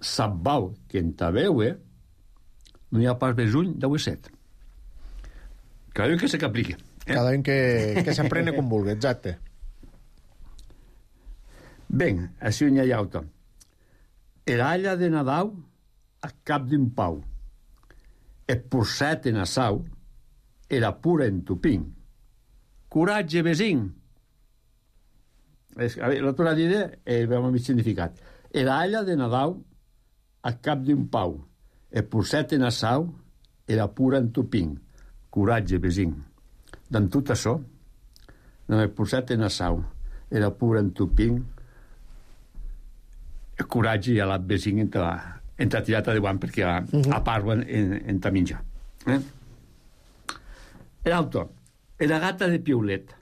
Sabbau que en ta veue no hi ha pas besuny d'aueset. Cada un que se qu'apliqui. Cada un que s'aprene com vulgui, exacte. Ben, així n'hi ha auto. Era alla de Nadau a cap d'un pau. Et porcet en assau era pura en tupín. Coratge, vesin. La tua idea veu mig significat. Era alla de Nadau a cap d'un pau. Et porcet en assau era pura en tupín. Coratge, vesin. D'en tot això, no me posat en assau, era pur en tupín, el coratge i la vesin en ta tirata de guant perquè a parlen en ta menjar. L'altre, era gata de Piulet.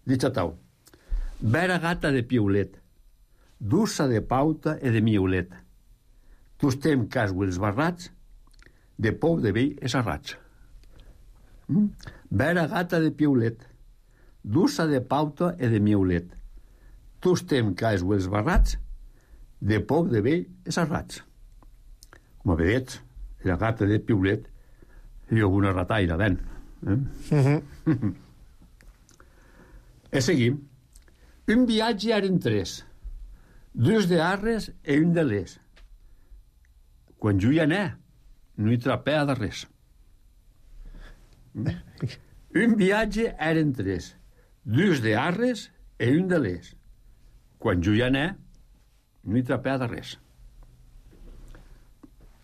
Dichatau. Vera gata de piulet, dussa de pauta e de miulet. Tu estem casgo els barrats, de pou de vell és arrats. Vera gata de piulet, dussa de pauta e de miulet. Tu estem casgo els barrats, de pou de vell és arrats. Com a vedets, la gata de piulet i alguna rataire, ben. E seguim. Un viatge eren 3, 2 de Arres e un de Les. Quan jo hi anè, no hi trapea de res. Un viatge eren 3, 2 de Arres e un de Les. Quan jo hi anè, no hi trapea de res.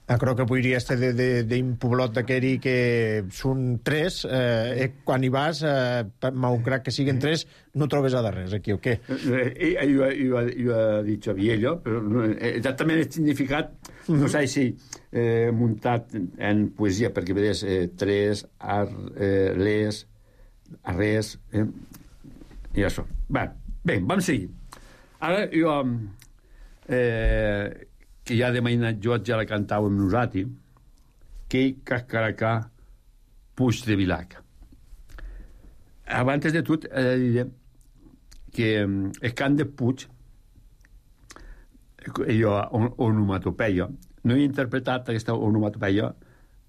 Crec que podria estar d'un poblot d'aquell que són 3, quan hi vas, malgrat que siguin 3, no trobes a de res, aquí, o què? Jo he dit Xavier, però exactament el significat, no sé si muntat en poesia, perquè veus 3, les, arres, i això. Bé, vam seguir. Ara jo... que ja de mainat jo ja la cantava amb nosaltres, que cascaracà Puig de Vilac. Abans de tot, he de dir que el cant de Puig, jo, onomatopeia, no he interpretat aquesta onomatopeia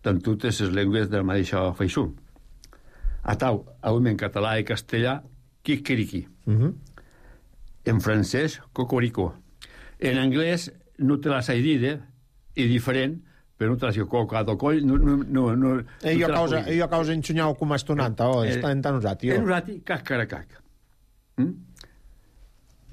en totes les llengües de la mateixa feixó. Atau, en català i castellà, quiquiriqui. En francès, cocoricó. En anglès, no te la sai dir, és diferent, però no te la sai cocado coll, no... Io a causa ensenyau com estonant, està en usat, jo. En usat, cascaracac.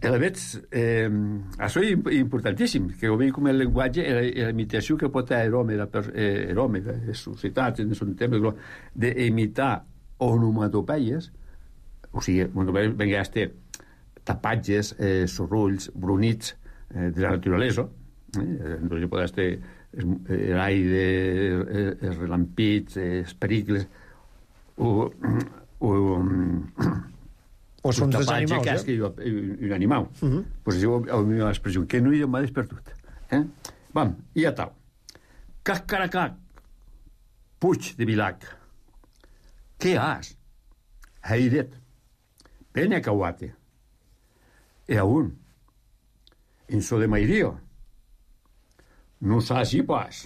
A veig, això és importantíssim, que ho veig com el llenguatge, la imitació que pot haver l'home, la societat, en un temps, d'imitar onomatopeies, o sigui, venga a estar tapatges, sorrulls, brunits, de la naturalesa, entonces pot estar l'aire, els relampits, els pericles, o són dels animals, un animal. Pues això és la meva expressió, que no hi m'ha despertut. Vam, i a tal. Cascaracac, Puig de Vilac. Què has? Heidet. Pene cauate. E aún. En so de mairio. No saps si pas.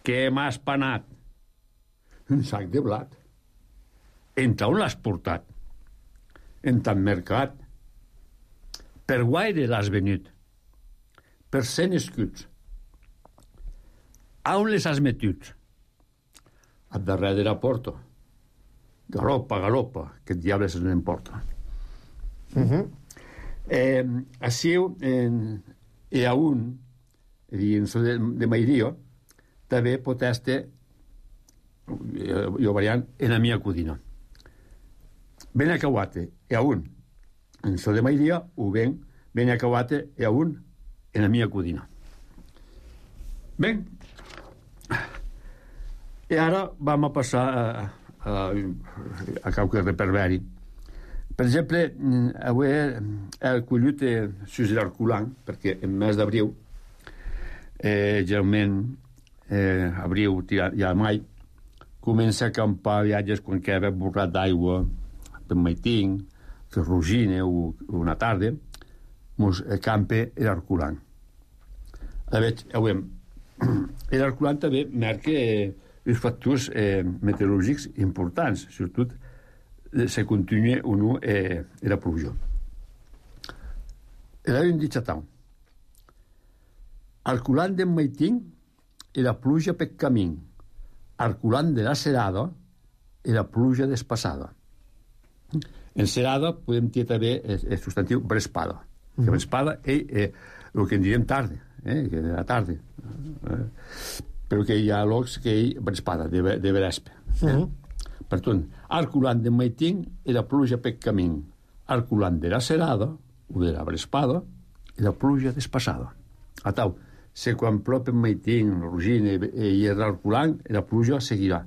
Què m'has panat? Un sac de blat. En on l'has portat? En tan mercat. Per guaire l'has venut? Per 100 escuts. A on les has metut? A darrere de la porta. Galopa, que el diable se n'emporta. Així, i a un, en so de mairio, també pot estar, jo variant, en la mia codina. Ben acabate, e a un, en so de mairio, ho ben acabate, e a un, en la mia codina. Ben, i ara vam a passar a qualque reperveri. Per exemple, avui he collit sus l'Arculant, perquè en mes d'abril, generalment, abril, ja mai, comença a acampar viatges quan queda borrat d'aigua, per Maiting, per Rugine o una tarda, mos acampa l'Arculant. L'Arculant també marca els factors meteorològics importants, sobretot se continua o no la pluja. Era un dichatau. Arculant de Maiting i la pluja per camí. Arculant de la Serada i la pluja despassada. En Serada podem dir també el substantiu brespada. Que brespada és el que en direm tarda, que de la tarda. Però que hi ha llocs que hi ha brespada, de vrespe. Per tant, Arculant de Maiting i la pluja per camí. Arculant de la Serada o de la brespada i la pluja despassada. A tal, se quan plou per Maiting, Rugine i l'Arculant, la pluja seguirà.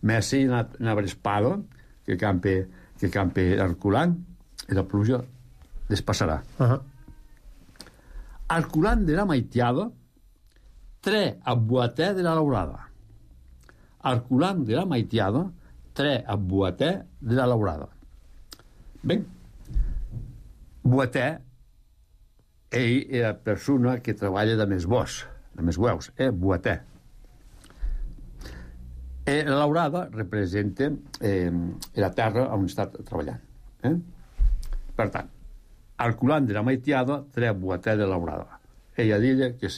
Més si una brespada que campe l'Arculant, la pluja despassarà. Arculant de la maitiada, tre a boatè de la laurada. Arculant de la maitiada, tre a boatè de la laurada. Ben, boatè, ell és la persona que treballa de més bosc, de més hueus, boatè. La laurada representa la terra on està treballant. Per tant, arculant de la maitiada, tre a boatè de la laurada. Ella diu que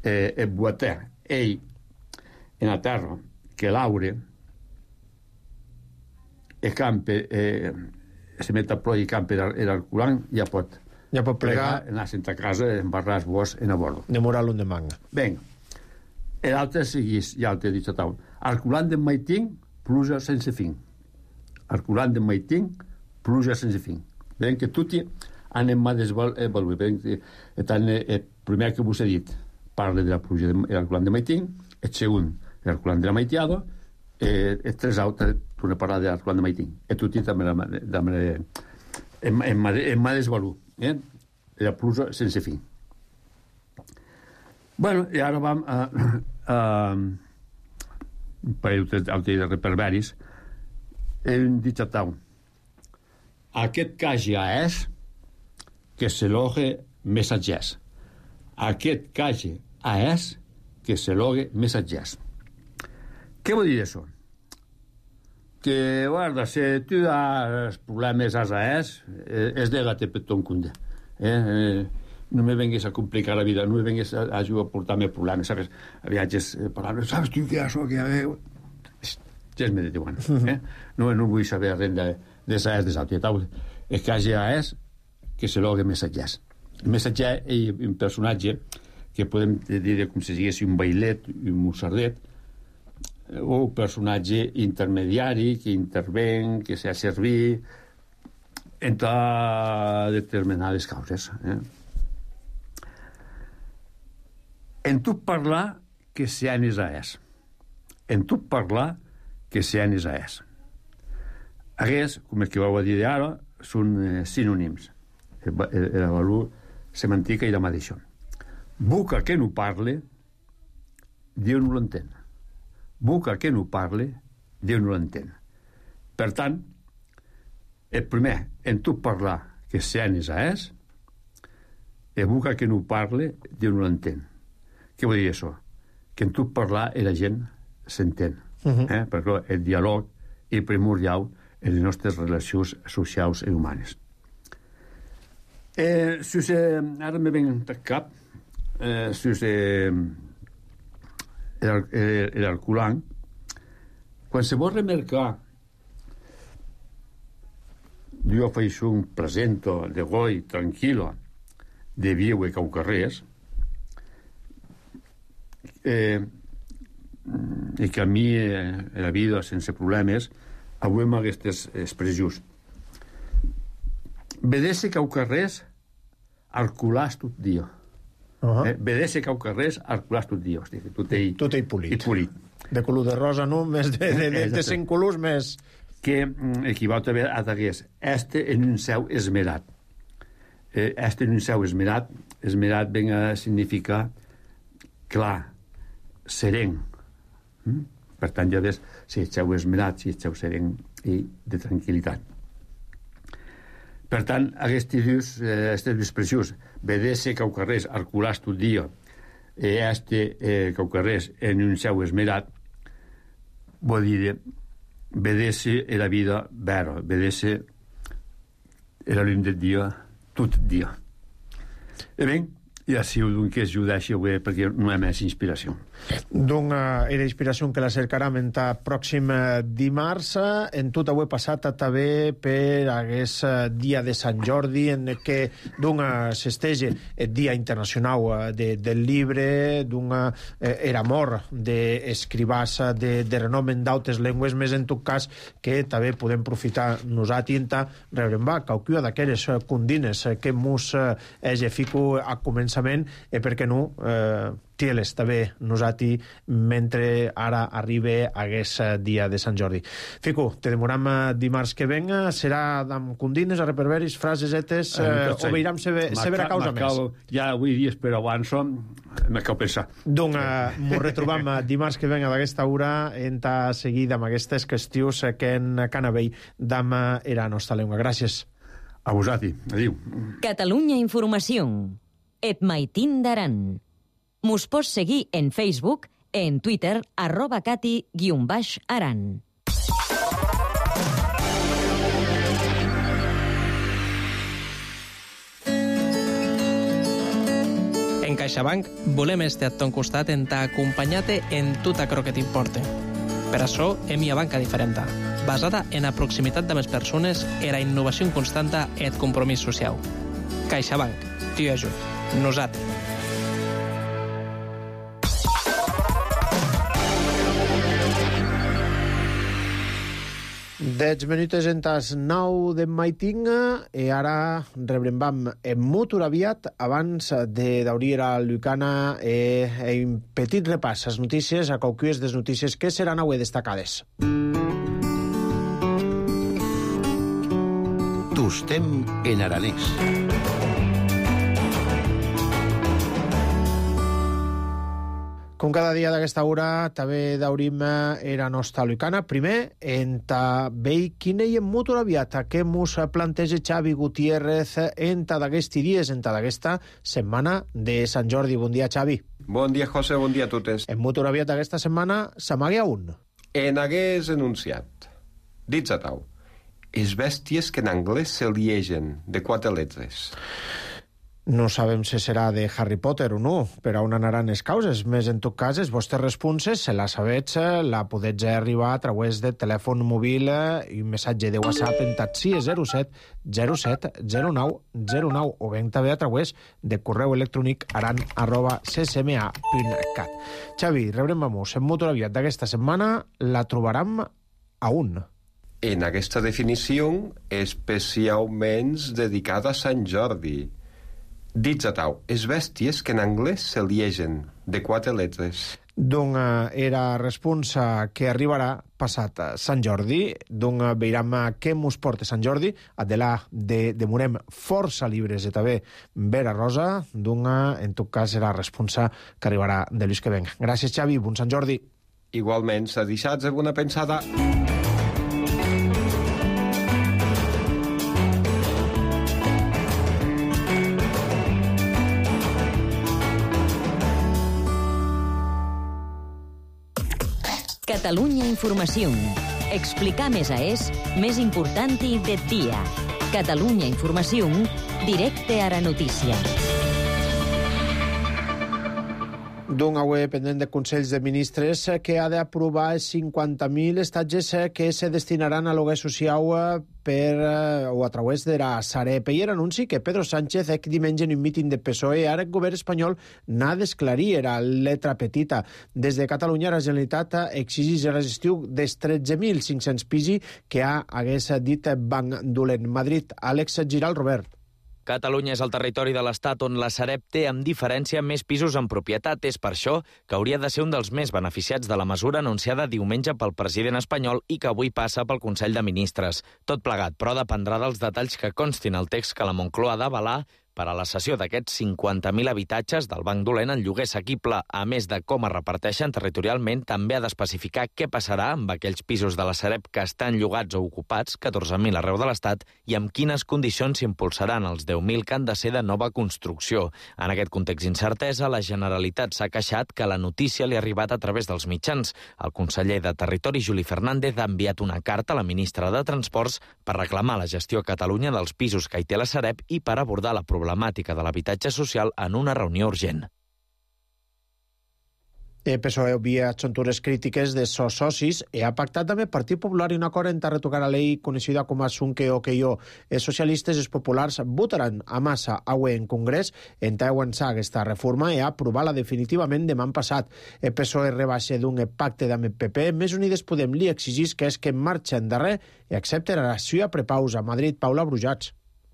el boatè, ell, en la terra, que l'aure, el camp, se met a plor i camp l'arculant, ja pot plegar, anar a casa, embarrar el bosc en a bordo. De moral un de manga. Ben, l'altre seguís, ja t'he dit a taula. Arculant de maiting, pluja sense fin. Arculant de maiting, pluja sense fin. Ben que tutti anem a desvaluar. Tant, el primer que vos he dit parla de la pluja de l'arculant de maiting, el segon, l'arculant de la maitiada, el tres altres torna a parlar de l'arculant de maiting. I tutti també em desvaluar. La pluja sense fin. Bueno, i ara vam a un parell de reperberis. Hem dit a tau. Aquest cas ja és que s'elogue missatgers. Aquest cas ja és que s'elogue missatgers. Què vol dir això? Que, guarda, si tu has problemes a és de-la-te per ton cunde. No me vengues a complicar la vida, no me vengues a ajudar a portar-me problemes, ¿sabes? Viatges, paraules, ¿sabes tu què és això? Ja es me diuen, No vull saber res de saber de l'altre. El cas ja és que se logue missatgers. El missatger és un personatge que podem dir com si digués un bailet, un musardet, o un personatge intermediari que interven, que s'ha servir entre determinades causes. En tu parlar que seanis a és. En tu parlar que seanis a és. Aquests, com el que vau a dir ara, són sinònims. El valor semàntica i la mateixa. Boca que no parle, Déu no l'entén. Boca que no parle, Déu no l'entén. Per tant, el primer, en tu parlar que seanis a és, el boca que no parle, Déu no l'entén. Què vol dir això? Que en tu parlar la gent s'entén. Perquè el diàleg és primordial en les nostres relacions socials i humanes. Ara me ven al cap l'arculant. Quan se vol remarcar jo faig un presento de goi tranquil·lo de viu i caucarrers i que a mi la vida sense problemes avui amb aquestes expressions. Vedesse caucarrers arculars tot dia. Vedesse caucarrers arculars tot dia. Tot ell polit. De color de rosa, no? Més de 100 colors més. Que equival també a t'hagués en un seu esmerat. En un seu esmerat ven a significar clar, serén. Per tant, ja ves si eixeu esmerat, si eixeu serén i de tranquil·litat. Per tant, aquestes dues expressions, vedesse caucarrers arculars tot dia, caucarrers en un seu esmerat, vol dir vedesse la vida vera, vedesse la llum del dia tot dia. E ben, i així que es judeixi perquè no hi ha més inspiració. Donc, era inspiració que la cercarem en el pròxim dimarts. En tot avui passat també per aquest dia de Sant Jordi, en què s'estege el Dia Internacional del Llibre, era mort d'escribars de renom en d'altres llengües, més en tot cas que també podem aprofitar nosaltres rebrem qualcuna d'aquelles condines que mos fico a començar començament i per què no tieles també nosati mentre ara arriba aquest dia de Sant Jordi. Fico, te demoram dimarts que venga, serà amb condines, a reperveris, frases etes, o veiram severa causa més? Ja avui dia, però abans me cal pensar. Doncs mos retrobam dimarts que venga d'aquesta hora en seguir amb aquestes qüestions que en Canavell d'am era nostra llengua. Gràcies. A vosati. Adiu. Catalunya Informació. Et maitin d'aran. Mos pots seguir en Facebook, en Twitter, @cati_aran. En CaixaBank volem estar a ton costat en t'acompanyar-te en tot aquello que t'importe. Per això hem a banca diferent, basada en la proximitat de les persones, la innovació constanta i el compromís social. CaixaBank, t'hi ajut. Nosaltres. 10 minuts en tas 9 de maitinga i ara rebrem en molt aviat abans de d'obrir a Lucana un petit repàs les notícies, a qualques de les notícies que seran avui destacades. Tostem en aranès. Com cada dia d'aquesta hora, també d'obrim era nostra Lucana. Primer, en veig quina hi ha molt aviat que mos planteja Xavi Gutiérrez en d'aquests dies, en d'aquesta setmana de Sant Jordi. Bon dia, Xavi. Bon dia, José, bon dia a totes. En molt aviat d'aquesta setmana s'amaga un. En hagués enunciat. Dits a tau. Es bèsties que en anglès se liegen, de 4 lletres. No sabem si serà de Harry Potter o no, per on anaran les causes. Més en tot cas, les vostres responses, si la sabets, la podets arribar a través de telèfon mòbil i un missatge de WhatsApp en taxi 07 07 09 09 o ben també a través de correu electrònic aran@ccma.cat. Xavi, rebrem vamos. En molt aviat d'aquesta setmana la trobaram a un. En aquesta definició, especialment dedicada a Sant Jordi. Dits a tau, es bèsties que en anglès se liegen, de 4 lletres. Donc era responsa que arribarà passat Sant Jordi. Donc veiram què mos porta Sant Jordi. Adelà demorem força llibres de també Vera Rosa. Donc en tot cas serà responsa que arribarà de l'ús que venga. Gràcies, Xavi. Bon Sant Jordi. Igualment, s'ha deixat de bona pensada. Catalunya Informació. Explicar més més important de dia. Catalunya Informació, directe a la notícia. D'un avui pendent de Consells de Ministres que ha d'aprovar 50.000 estatges que se destinaran a lloguer social o a través de la Sareb. I era anunci que Pedro Sánchez diumenge en un míting de PSOE ara el govern espanyol n'ha d'esclarir, era letra petita. Des de Catalunya la Generalitat exigeix la gestió dels 13.500 pisos que hagués dit Banc Dolent. Madrid, Àlex Giral, Robert. Catalunya és el territori de l'Estat on la Sareb té, amb diferència, més pisos en propietat. És per això que hauria de ser un dels més beneficiats de la mesura anunciada diumenge pel president espanyol i que avui passa pel Consell de Ministres. Tot plegat, però, dependrà dels detalls que constin al text que la Moncloa ha d'avalar per a la cessió d'aquests 50.000 habitatges del Banc Dolent en lloguer assequible, a més de com es reparteixen territorialment, també ha d'especificar què passarà amb aquells pisos de la Sareb que estan llogats o ocupats, 14.000 arreu de l'Estat, i amb quines condicions s'impulsaran els 10.000 que han de ser de nova construcció. En aquest context d'incertesa, la Generalitat s'ha queixat que la notícia li ha arribat a través dels mitjans. El conseller de Territori, Juli Fernández, ha enviat una carta a la ministra de Transports per reclamar la gestió a Catalunya dels pisos que hi té la Sareb i per abordar la problemàtica de l'habitatge social en una reunió urgent. El PSOE obvia xontures crítiques de sos socis i ha pactat també el Partit Popular i un acord en retocar la llei coneixida com a Sunque o Queio. Els socialistes i els populars votaran a massa avui en Congrés en avançar aquesta reforma i aprovar-la definitivament demà passat. El PSOE rebaixa d'un pacte amb el PP, més Unides Podem li exigís que és que marxa endarrer i accepta la relació a prepausa. Madrid, Paula Brujats.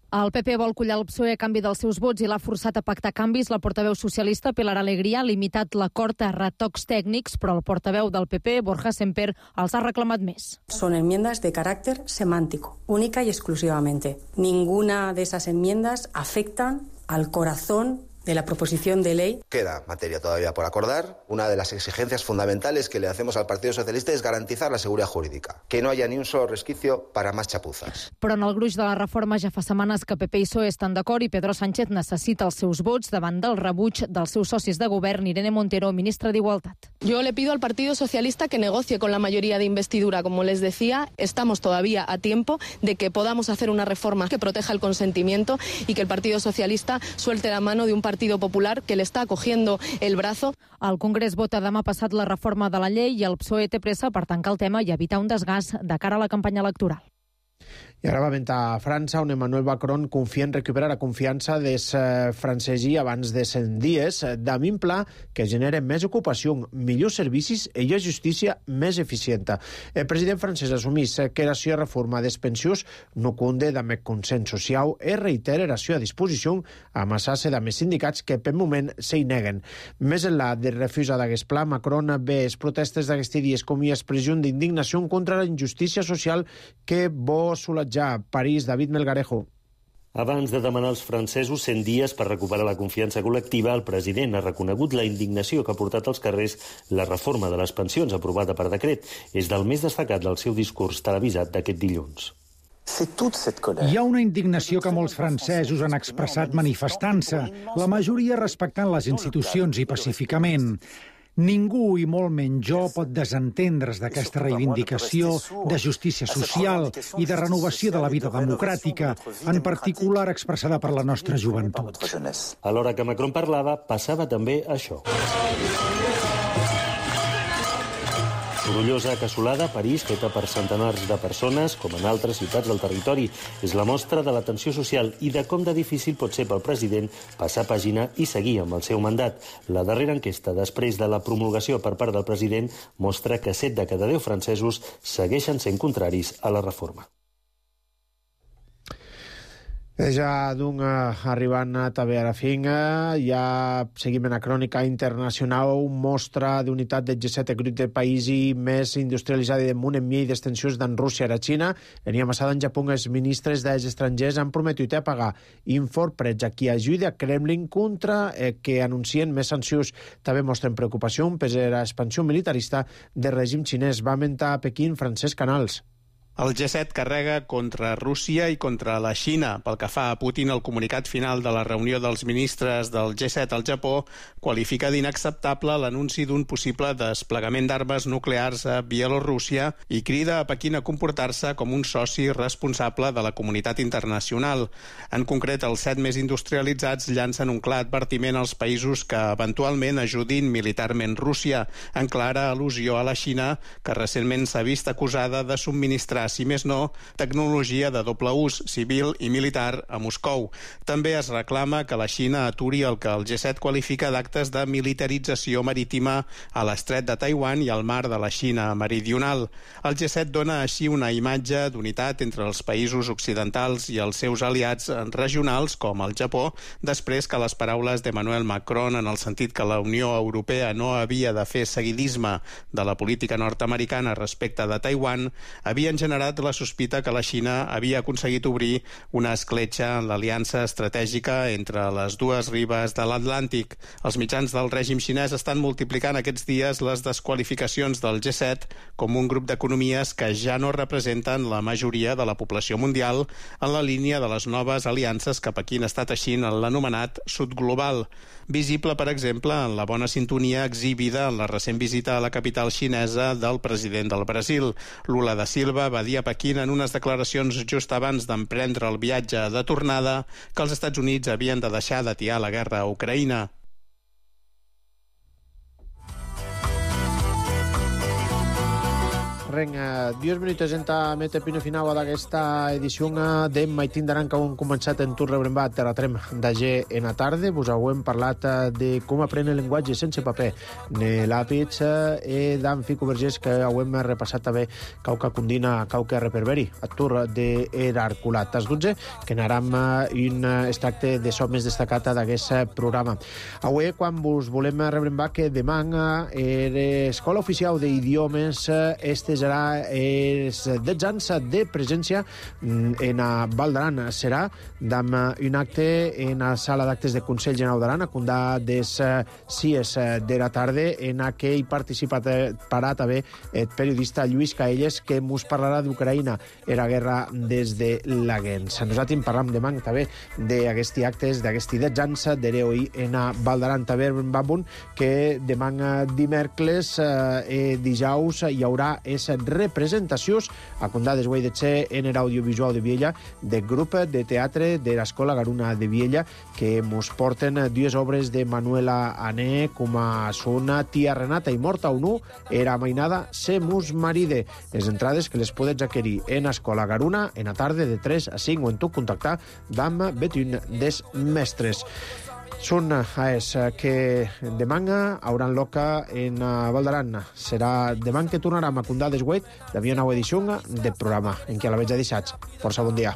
El PP vol collar el PSOE a canvi dels seus vots i l'ha forçat a pactar canvis. La portaveu socialista Pilar Alegría ha limitat l'acord a retocs tècnics, però el portaveu del PP, Borja Semper, els ha reclamat més. Son enmiendas de carácter semántico, única y exclusivamente. Ninguna de esas enmiendas afectan al corazón de la proposición de ley. Queda materia todavía por acordar. Una de las exigencias fundamentales que le hacemos al Partido Socialista es garantizar la seguridad jurídica, que no haya ni un solo resquicio para más chapuzas. Però en el gruix de la reforma ja fa setmanes que PP i PSOE estan d'acord i Pedro Sánchez necessita els seus vots davant del rebuig dels seus socis de govern, Irene Montero, ministra d'Igualtat. Yo le pido al Partido Socialista que negocie con la mayoría de investidura. Como les decía, estamos todavía a tiempo de que podamos hacer una reforma que proteja el consentimiento y que el Partido Socialista suelte la mano de un Partido Popular que le está cogiendo el brazo. El Congrés vota demà passat la reforma de la llei i el PSOE té pressa per tancar el tema i evitar un desgast de cara a la campanya electoral. I ara va ventar a França, on Emmanuel Macron confia en recuperar la confiança dels francesos abans de 100 dies, amb un pla que genera més ocupació, millors servicis i una justícia més eficient. El president francès assumís que la seva reforma dels pensions no conde amb el consens social i reitera la seva disposició a amassar-se amb els sindicats que per moment s'hi neguen. Més enllà de refusar d'aquest pla, Macron ve les protestes d'aquests dies com una expressió d'indignació contra la injustícia social que vol solatjar París. David Melgarejo. Abans de demanar als francesos 100 dies per recuperar la confiança col·lectiva, el president ha reconegut la indignació que ha portat als carrers la reforma de les pensions aprovada per decret. És del més destacat del seu discurs televisat d'aquest dilluns. Hi ha una indignació que molts francesos han expressat manifestant-se, la majoria respectant les institucions i pacíficament. Ningú, i molt menys jo, pot desentendre's d'aquesta reivindicació de justícia social i de renovació de la vida democràtica, en particular expressada per la nostra joventut. A l'hora que Macron parlava, passava també això. Sorollosa cassolada a París, feta per centenars de persones, com en altres ciutats del territori. És la mostra de la tensió social i de com de difícil pot ser pel president passar pàgina i seguir amb el seu mandat. La darrera enquesta, després de la promulgació per part del president, mostra que 7 de cada 10 francesos segueixen sent contraris a la reforma. Ja arribant també a la fin, ja seguim en la crònica internacional, mostra d'unitat del G7, el grup de països més industrialitzats del món en mi d'extensions d'en Rússia a la Xina. L'any passat en Japó els ministres dels estrangers han prometut a pagar inforprets a qui ajuda a Kremlin contra que anuncien més sancions. També mostren preocupació per l'expansió militarista del règim xinès. Va mentar a Pequín Francesc Canals. El G7 carrega contra Rússia i contra la Xina. Pel que fa a Putin, el comunicat final de la reunió dels ministres del G7 al Japó qualifica d'inacceptable l'anunci d'un possible desplegament d'armes nuclears a Bielorússia i crida a Pequín a comportar-se com un soci responsable de la comunitat internacional. En concret, els 7 més industrialitzats llancen un clar advertiment als països que eventualment ajudin militarment Rússia, en clara al·lusió a la Xina, que recentment s'ha vist acusada de subministrar, si més no, tecnologia de doble ús, civil i militar, a Moscou. També es reclama que la Xina aturi el que el G7 qualifica d'actes de militarització marítima a l'estret de Taiwan i al mar de la Xina meridional. El G7 dona així una imatge d'unitat entre els països occidentals i els seus aliats regionals, com el Japó, després que les paraules d'Emmanuel Macron en el sentit que la Unió Europea no havia de fer seguidisme de la política nord-americana respecte de Taiwan, havien generat la sospita que la Xina havia aconseguit obrir una escletxa en l'aliança estratègica entre les dues ribes de l'Atlàntic. Els mitjans del règim xinès estan multiplicant aquests dies les desqualificacions del G7 com un grup d'economies que ja no representen la majoria de la població mundial en la línia de les noves aliances que Pequín està teixint en l'anomenat sud global. Visible, per exemple, en la bona sintonia exhibida en la recent visita a la capital xinesa del president del Brasil. Lula da Silva va dir a Pequín en unes declaracions just abans d'emprendre el viatge de tornada que els Estats Units havien de deixar d'atiar la guerra a Ucraïna. Ren, 10 minuts enta mete pino final d'aquesta edició de Maitín d'Aran que hem començat en tur rebrembat Terratrem d'Agé en la tarda. Vos hem parlat de com aprendre el llenguatge sense paper ne l'àpits d'en Fico Vergés que hem repassat també cauca condina, cauca reperberi a tur d'Herarculat. Tas 12 que n'aram un extracte de so més destacat d'aquest programa. Avui, quan vos volem rebrembar que demà l'Escola Oficial d'Idiomes serà els 10 anys de presència en Val d'Aran. Serà amb un acte en la sala d'actes de Consell General d'Aran a condar des 6 de la tarda en què hi participarà també el periodista Lluís Caelles que ens parlarà d'Ucraïna i la guerra des de la Gens. Nosaltres parlam demà també d'aquests actes, d'aquests 10 anys d'heroi en Val d'Aran. També va bon que demà dimecres i dijous hi haurà les representacions a condar des Guai de Txe en l'audiovisual de Viella del grup de teatre de l'Escola Garuna de Viella que ens porten dues obres de Manuela Ané com a són Tia Renata i Morta Unu era mainada Se mus maride. Les entrades que les podets adquirir en Escola Garuna en la tarda de 3 a 5 o en tu contactar amb betun des mestres. Són que demà hauran loca en Val d'Aran. Serà demà que tornarem a condar des Guait d'havia nova edició del programa en què a la veig de deixats. Força bon dia.